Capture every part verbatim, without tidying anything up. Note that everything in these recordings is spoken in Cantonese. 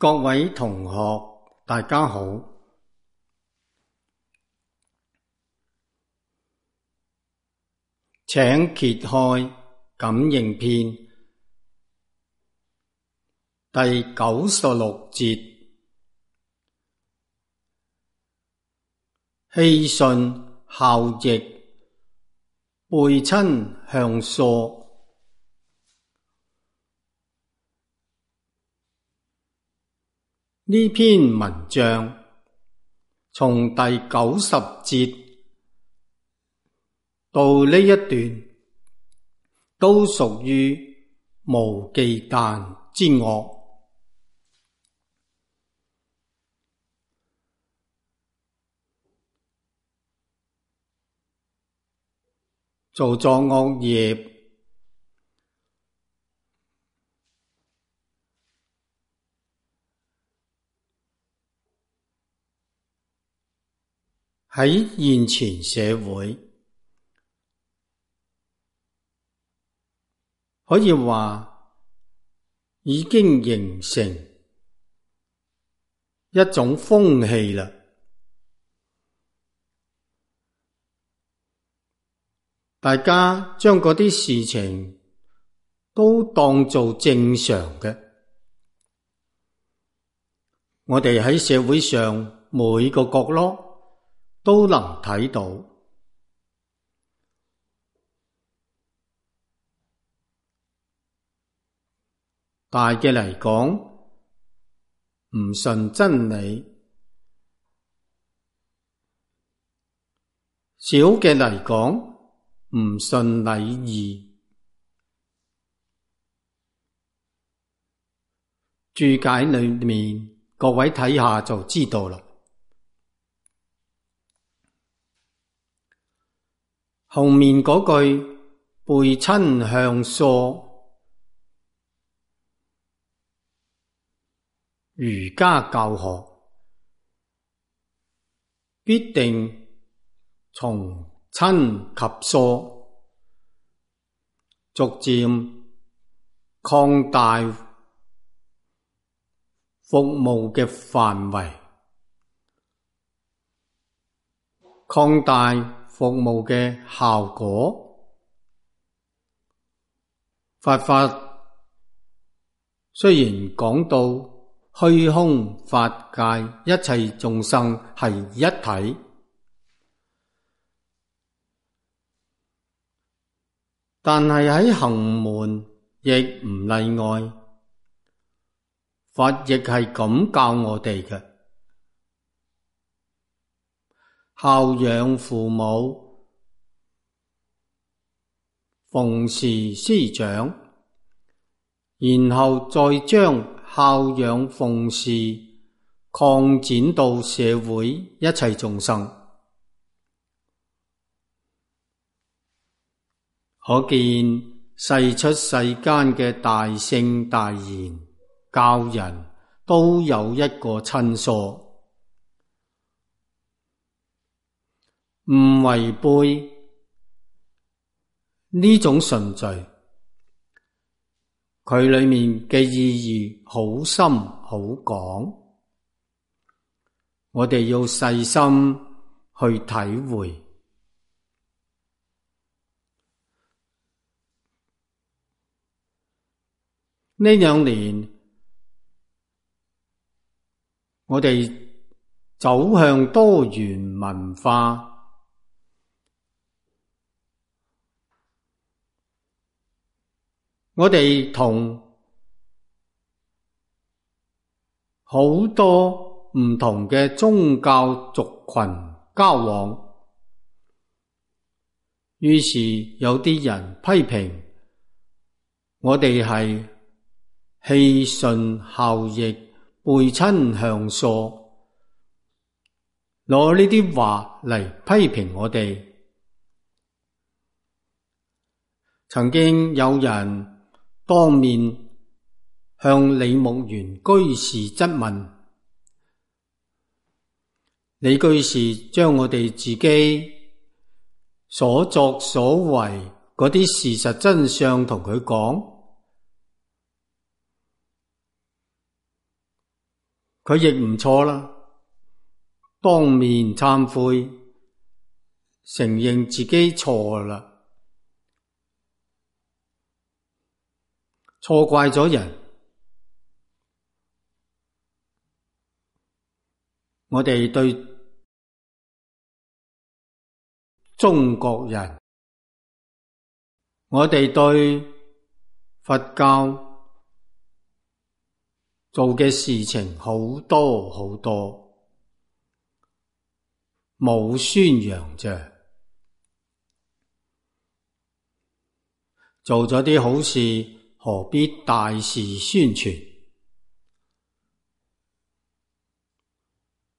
各位同學，大家好。請揭開《感應篇》第九十六節，氣順效逆，背親向疏。呢篇文章從第九十節到呢一段都屬於無忌憚之惡。做咗惡業，喺現前社會可以話已經形成一種風氣啦。大家將嗰啲事情都當做正常嘅。我哋喺社會上每個角落都能睇到。大嘅嚟講，唔順真理；小嘅嚟講，唔順禮義。注解裏面，各位睇下就知道啦。後面嗰句背親向疏，儒家教學必定從親及疏逐漸擴大服務嘅範圍，擴大服務嘅效果。佛法雖然講到虛空法界一切眾生係一體，但係喺行門亦唔例外。佛亦係咁教我哋嘅：孝養父母，奉事師長，然後再將孝養奉事擴展到社會一切眾生。可見世出世間嘅大聖大賢教人都有一個親疏，唔違背呢種順序，佢裏面嘅意義好深好廣，我哋要細心去體會。呢兩年我哋走向多元文化，我哋同好多唔同嘅宗教族群交往，於是有啲人批評我哋係氣順效逆，背親向疏，攞呢啲話嚟批評我哋。曾經有人當面向李木園居士質問，李居士將我哋自己所作所為嗰啲事實真相同佢講，佢亦唔錯啦，當面懺悔，承認自己錯啦，錯怪咗人。我哋對中國人，我哋對佛教做嘅事情好多好多，冇宣揚啫，做咗啲好事，何必大肆宣傳？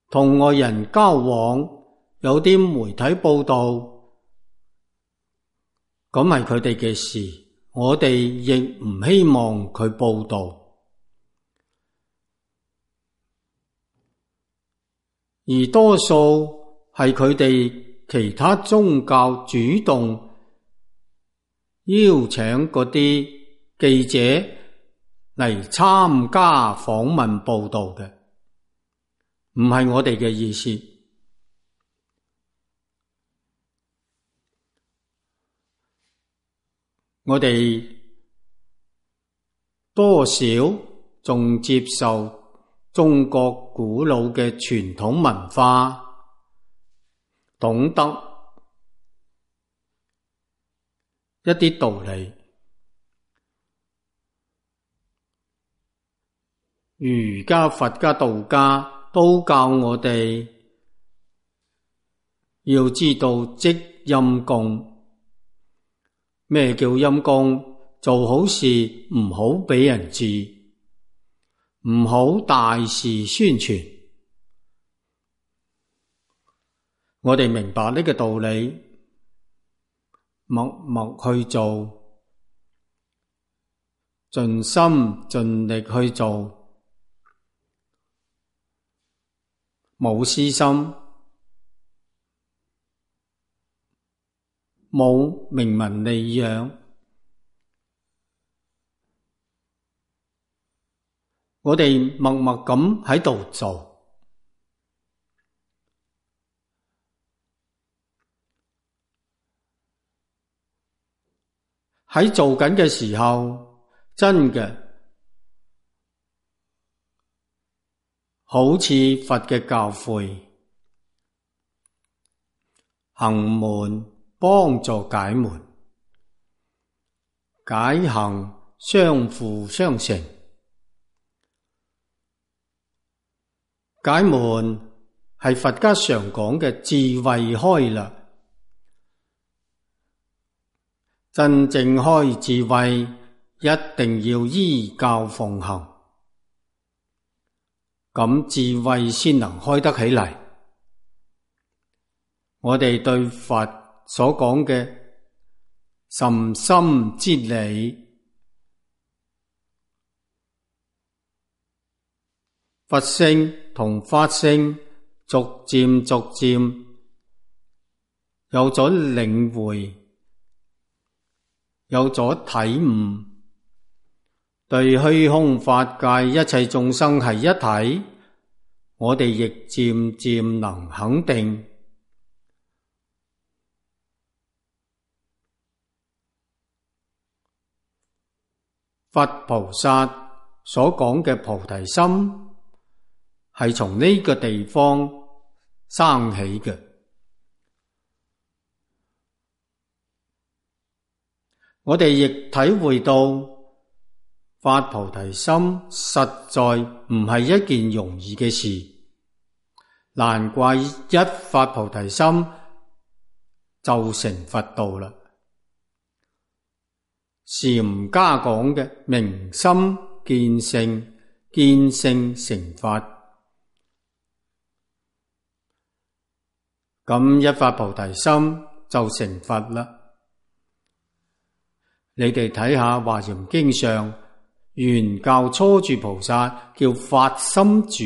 同外人交往，有啲媒體報道，咁係佢哋嘅事，我哋亦唔希望佢報道。而多數係佢哋其他宗教主動邀請嗰啲記者嚟參加訪問報道嘅，唔係我哋嘅意思。我哋多少仲接受中國古老嘅傳統文化，懂得一啲道理。儒家、佛家、道家都教我哋要知道積陰功。咩叫陰功？做好事唔好俾人知，唔好大肆宣傳。我哋明白呢個道理，默默去做，盡心盡力去做，冇私心，冇名聞利養，我哋默默咁喺度做，喺做緊嘅時候，真嘅好似佛嘅教誨，行門幫助解門，解行相輔相成。解門係佛家常講嘅智慧開啦，真正開智慧一定要依教奉行，咁智慧先能開得起嚟。我哋對佛所講嘅甚深之理，佛性同法性逐漸逐漸有咗領會，有咗體悟，對虛空法界一切眾生係一體，我哋亦漸漸能肯定。佛菩薩所講嘅菩提心係從呢個地方生起嘅。我哋亦體會到發菩提心實在唔係一件容易嘅事，難怪一發菩提心就成佛道啦。禪家講嘅明心見性，見性成佛，咁一發菩提心就成佛啦。你哋睇下《華嚴經》上原教初住菩薩叫發心住，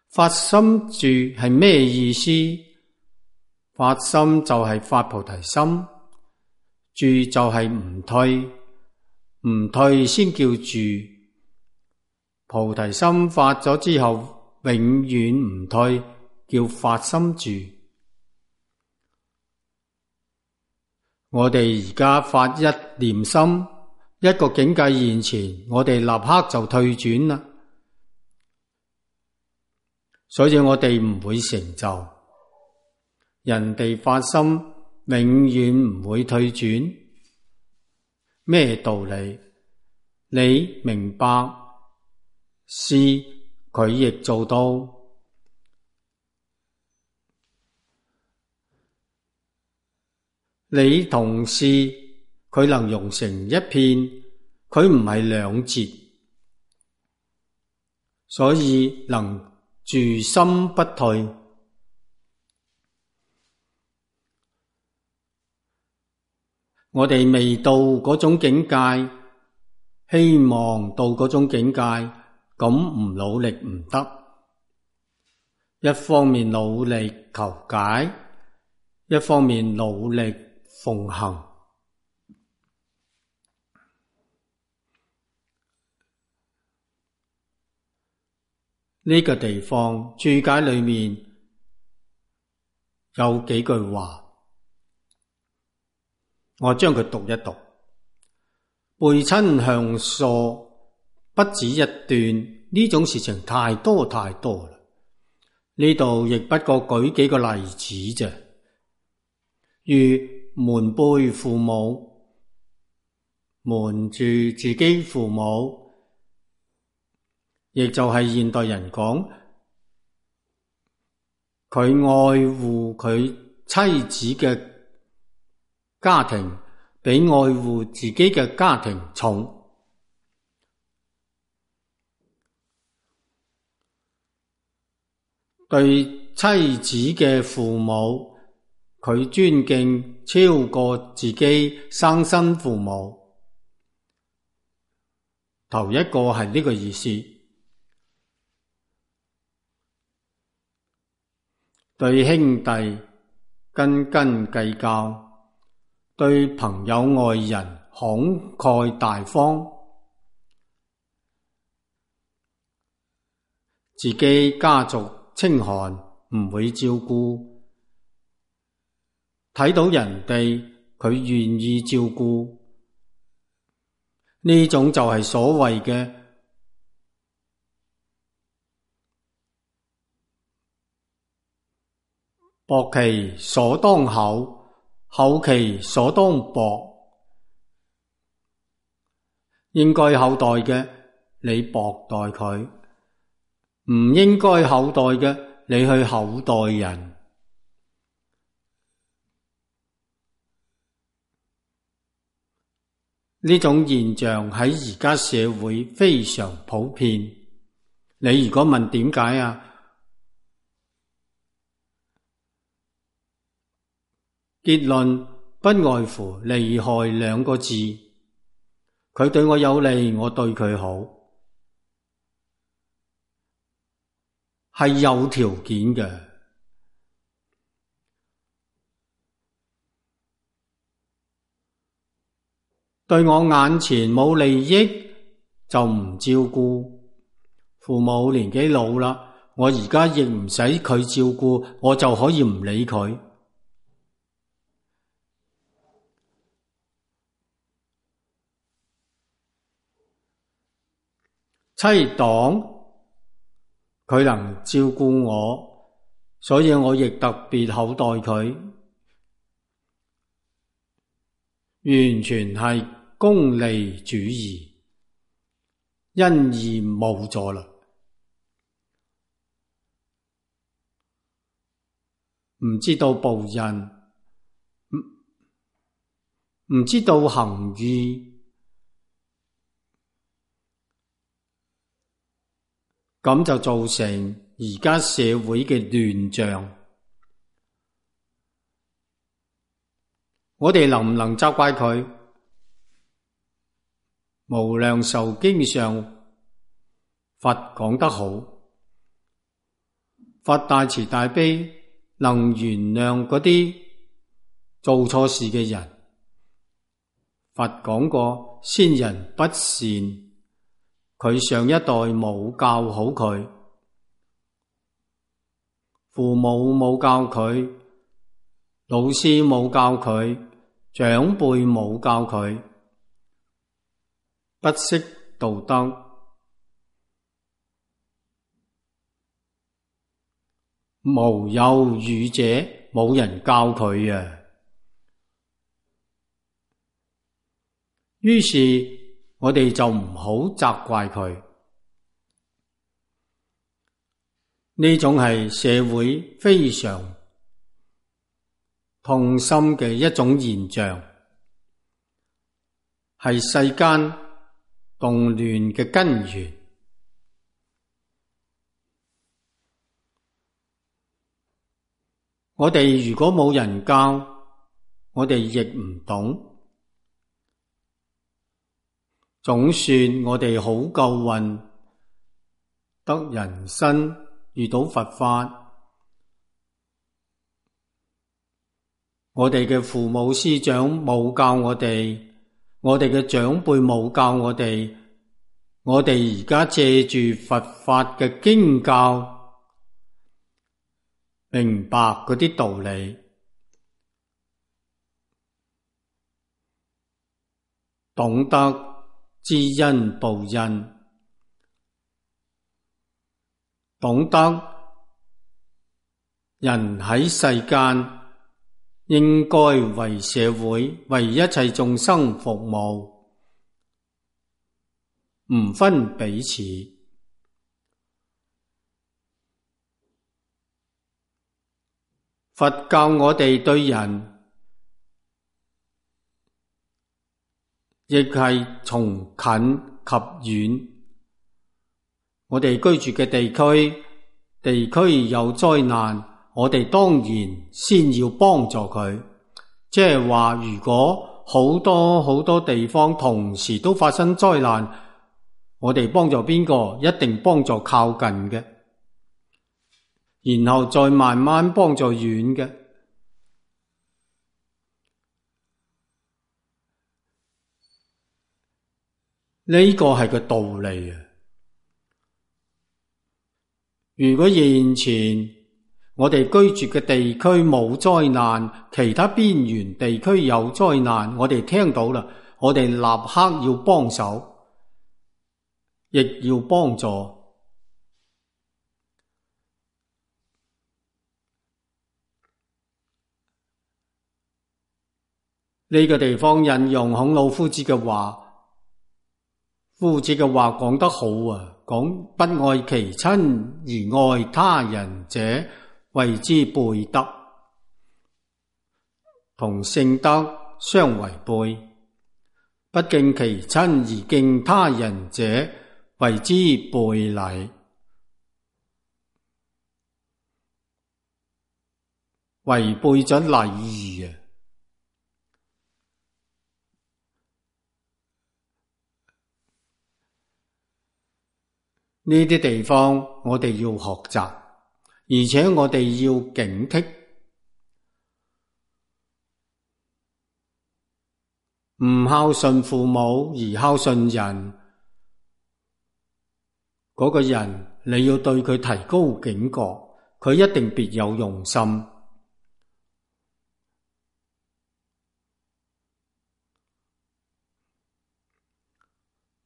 發心住係咩意思？發心就係發菩提心，住就係唔退，唔退先叫住。菩提心發咗之後，永遠唔退，叫發心住。我哋而家發一念心，一個境界現前，我哋立刻就退轉啦。所以我哋唔會成就。人哋發心永遠唔會退轉。咩道理？你明白，試佢亦做到。你同試佢能融成一片，佢唔係兩截，所以能住心不退。我哋未到嗰種境界，希望到嗰種境界，咁唔努力唔得。一方面努力求解，一方面努力奉行。呢個地方注解裏面有幾句話，我將佢讀一讀。背親向疏不止一段，呢種事情太多太多啦。呢度亦不過舉幾個例子啫，如瞞背父母，瞞住自己父母，亦就係現代人講佢愛護佢妻子嘅家庭比愛護自己嘅家庭重。對妻子嘅父母，佢尊敬超過自己生身父母。頭一個係呢個意思。對兄弟斤斤計較，對朋友愛人慷慨大方，自己家族清寒唔會照顧，睇到人哋佢願意照顧，呢種就係所謂嘅薄其所當厚，厚其所當薄。應該厚待嘅，你薄待佢；唔應該厚待嘅，你去厚待人。呢種現象喺而家社會非常普遍。你如果問點解啊？結論不外乎利害兩個字。佢對我有利，我對佢好，係有條件嘅。對我眼前冇利益就唔照顧。父母年紀老啦，我而家亦唔使佢照顧，我就可以唔理佢。妻黨佢能照顧我，所以我亦特別厚待佢，完全係功利主義，因而冇咗啦。唔知道報恩，唔唔知道行義。咁就造成而家社會嘅亂象。我哋能唔能責怪佢？無量壽經上佛講得好，佛大慈大悲，能原諒嗰啲做錯事嘅人。佛講過，先人不善，佢上一代冇教好佢，父母冇教佢，老師冇教佢，長輩冇教佢，不識道德，無有語者，冇人教佢啊。於是我哋就唔好責怪佢，呢種係社會非常痛心嘅一種現象，係世間動亂嘅根源。我哋如果冇人教，我哋亦唔懂。總算我哋好夠運，得人身遇到佛法，我哋嘅父母師長冇教我哋，我哋嘅長輩冇教我哋，我哋而家借住佛法嘅經教，明白嗰啲道理，懂得知恩報恩，懂得人喺世間應該為社會、為一切眾生服務，唔分彼此。佛教我哋對人亦係從近及遠，我哋居住嘅地區，地區有災難，我哋當然先要幫助佢。即係話，如果好多好多地方同時都發生災難，我哋幫助邊個？一定幫助靠近嘅，然後再慢慢幫助遠嘅。呢個係個道理啊！如果現前我哋居住嘅地區冇災難，其他邊緣地區有災難，我哋聽到啦，我哋立刻要幫手，亦要幫助。呢個地方引用孔老夫子嘅話。夫子嘅話講得好啊，講不愛其親而愛他人者，謂之背德，同聖德相違背。不敬其親而敬他人者，謂之背禮。違背咗禮儀啊！呢啲地方我哋要學習，而且我哋要警惕，唔孝順父母而孝順人，嗰個人你要對佢提高警覺，佢一定別有用心。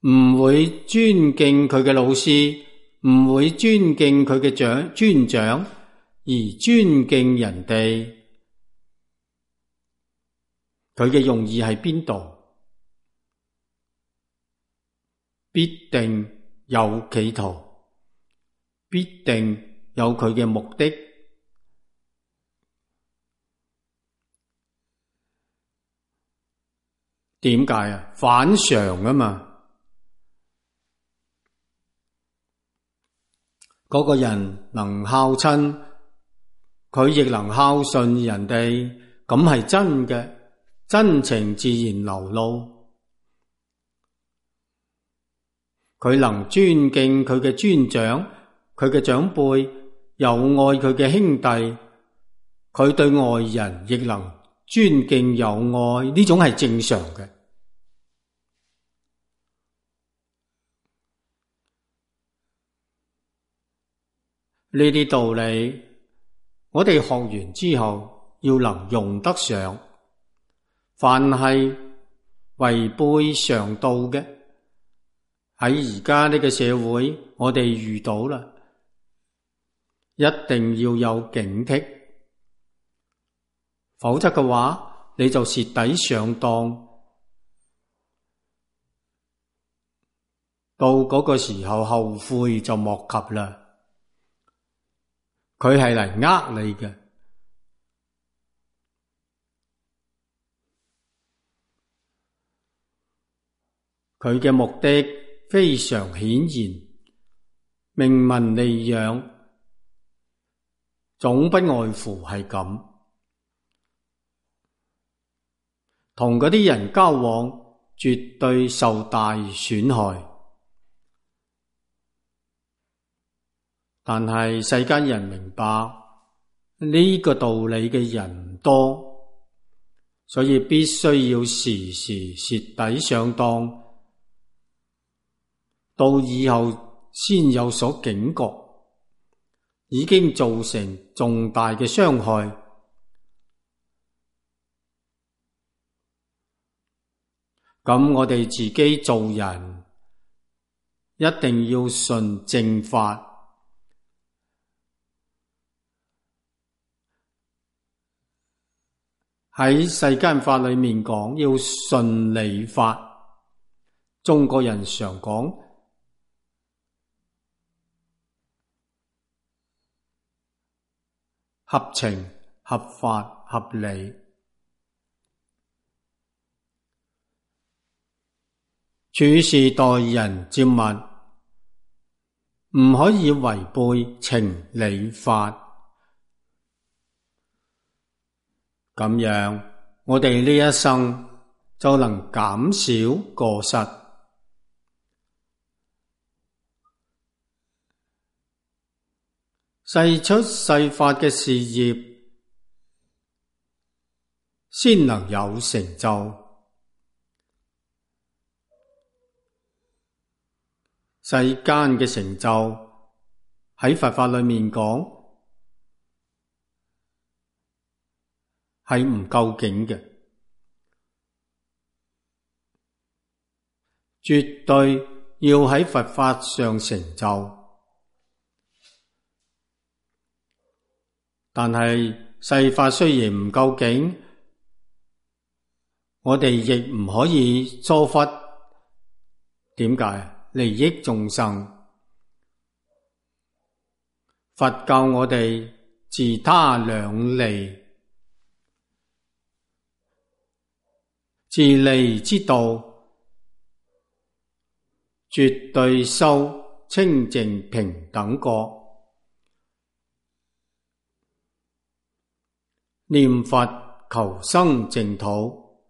唔會尊敬佢嘅老師，唔會尊敬佢嘅長尊長，而尊敬人哋，佢嘅用意喺邊度？必定有企圖，必定有佢嘅目的。點解啊？反常啊嘛。嗰個人能孝親，佢亦能孝順人哋，咁係真嘅，真情自然流露。佢能尊敬佢嘅尊長，佢嘅長輩，又愛佢嘅兄弟，佢對外人亦能尊敬有愛，呢種係正常嘅。呢啲道理，我哋學完之後要能用得上。凡係違背常道嘅，喺而家呢個社會，我哋遇到啦，一定要有警惕，否則嘅話，你就蝕底上當，到嗰個時候後悔就莫及啦。佢係嚟呃你嘅，佢嘅目的非常顯然，明文利養，總不外乎係咁。同嗰啲人交往，絕對受大損害。但係世間人明白呢個道理嘅人唔多，所以必須要時時蝕底上當，到以後先有所警覺，已經造成重大嘅傷害。咁我哋自己做人一定要順正法。喺世間法裏面講，要順理法。中國人常講合情、合法、合理。處事待人接物，唔可以違背情理法。咁樣，我哋呢一生就能減少過失。世出世法嘅事業先能有成就。世間嘅成就喺佛法裏面講係唔究竟嘅，絕對要喺佛法上成就。但係世法雖然唔究竟，我哋亦唔可以疏忽。點解？利益眾生。佛教我哋自他兩利。自利之道，絕對修清淨平等覺，念佛求生淨土，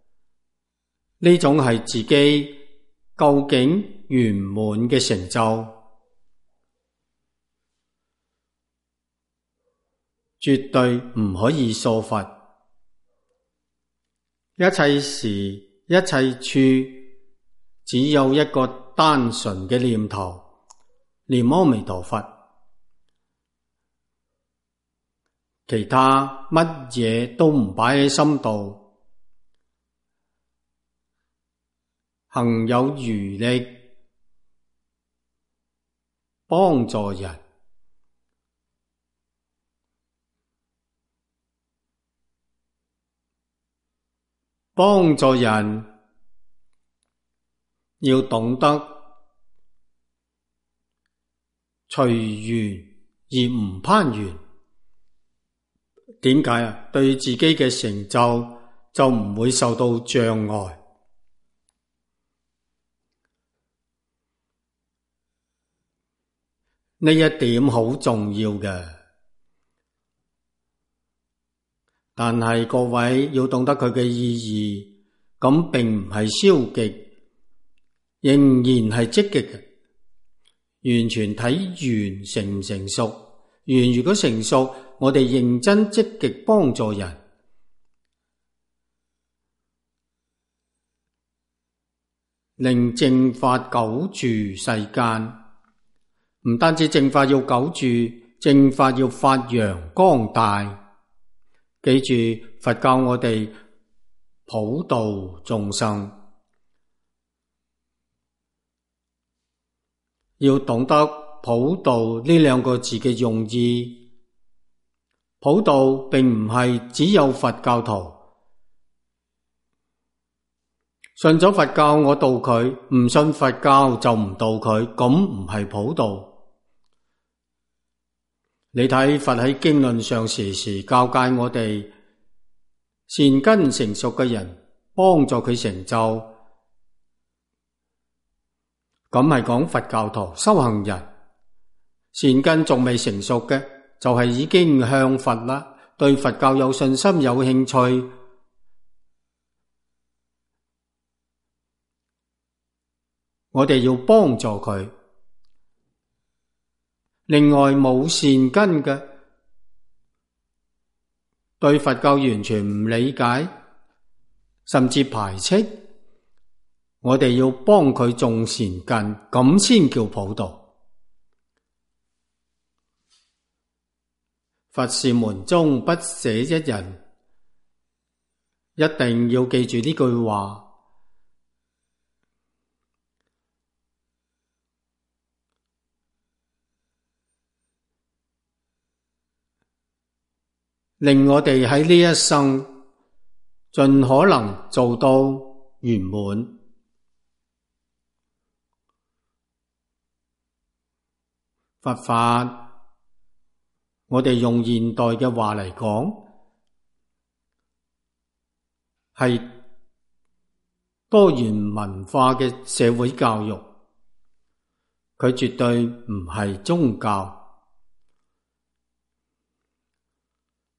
呢種係自己究竟圓滿嘅成就，絕對唔可以疏忽。一切時一切處，只有一個單純嘅念頭，念阿彌陀佛，其他乜嘢都唔擺喺心度，行有餘力幫助人。幫助人要懂得隨緣而唔攀緣。點解啊？對自己嘅成就就唔會受到障礙。呢一點好重要嘅。但係各位要懂得佢嘅意義，咁並唔係消極，仍然係積極嘅。完全睇緣成唔成熟。緣如果成熟，我哋認真積極幫助人，令正法久住世間。唔單止正法要久住，正法要發揚光大。記住，佛教我哋普度眾生，要懂得普度呢兩個字嘅用意。普度並唔係只有佛教徒信咗佛教我度佢，唔信佛教就唔度佢，咁唔係普度。你睇佛喺經論上時時教誡我哋，善根成熟嘅人幫助佢成就，咁係講佛教徒修行人。善根仲未成熟嘅，就係已經向佛啦，對佛教有信心有興趣，我哋要幫助佢。另外冇善根嘅，對佛教完全唔理解，甚至排斥，我哋要幫佢種善根，咁先叫普度。佛是門中不捨一人，一定要記住呢句話。令我哋喺呢一生盡可能做到圓滿。佛法，我哋用現代嘅話嚟講，係多元文化嘅社會教育，佢絕對唔係宗教。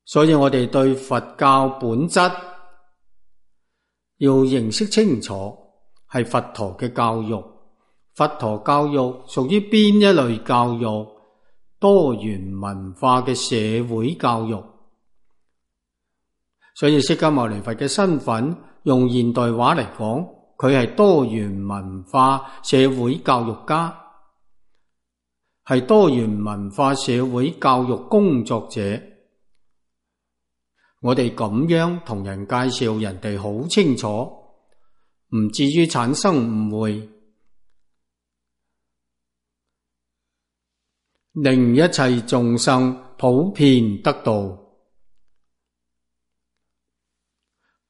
所以我哋對佛教本質要認識清楚，係佛陀嘅教育。佛陀教育屬於邊一類教育？多元文化嘅社會教育。所以釋迦牟尼佛嘅身份，用現代話嚟講，佢係多元文化社會教育家，係多元文化社會教育工作者。我哋咁樣同人介紹，人哋好清楚，唔至於產生誤會，令一切眾生普遍得道，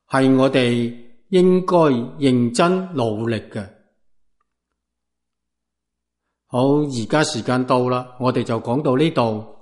係我哋應該認真努力嘅。好，而家時間到啦，我哋就講到呢度。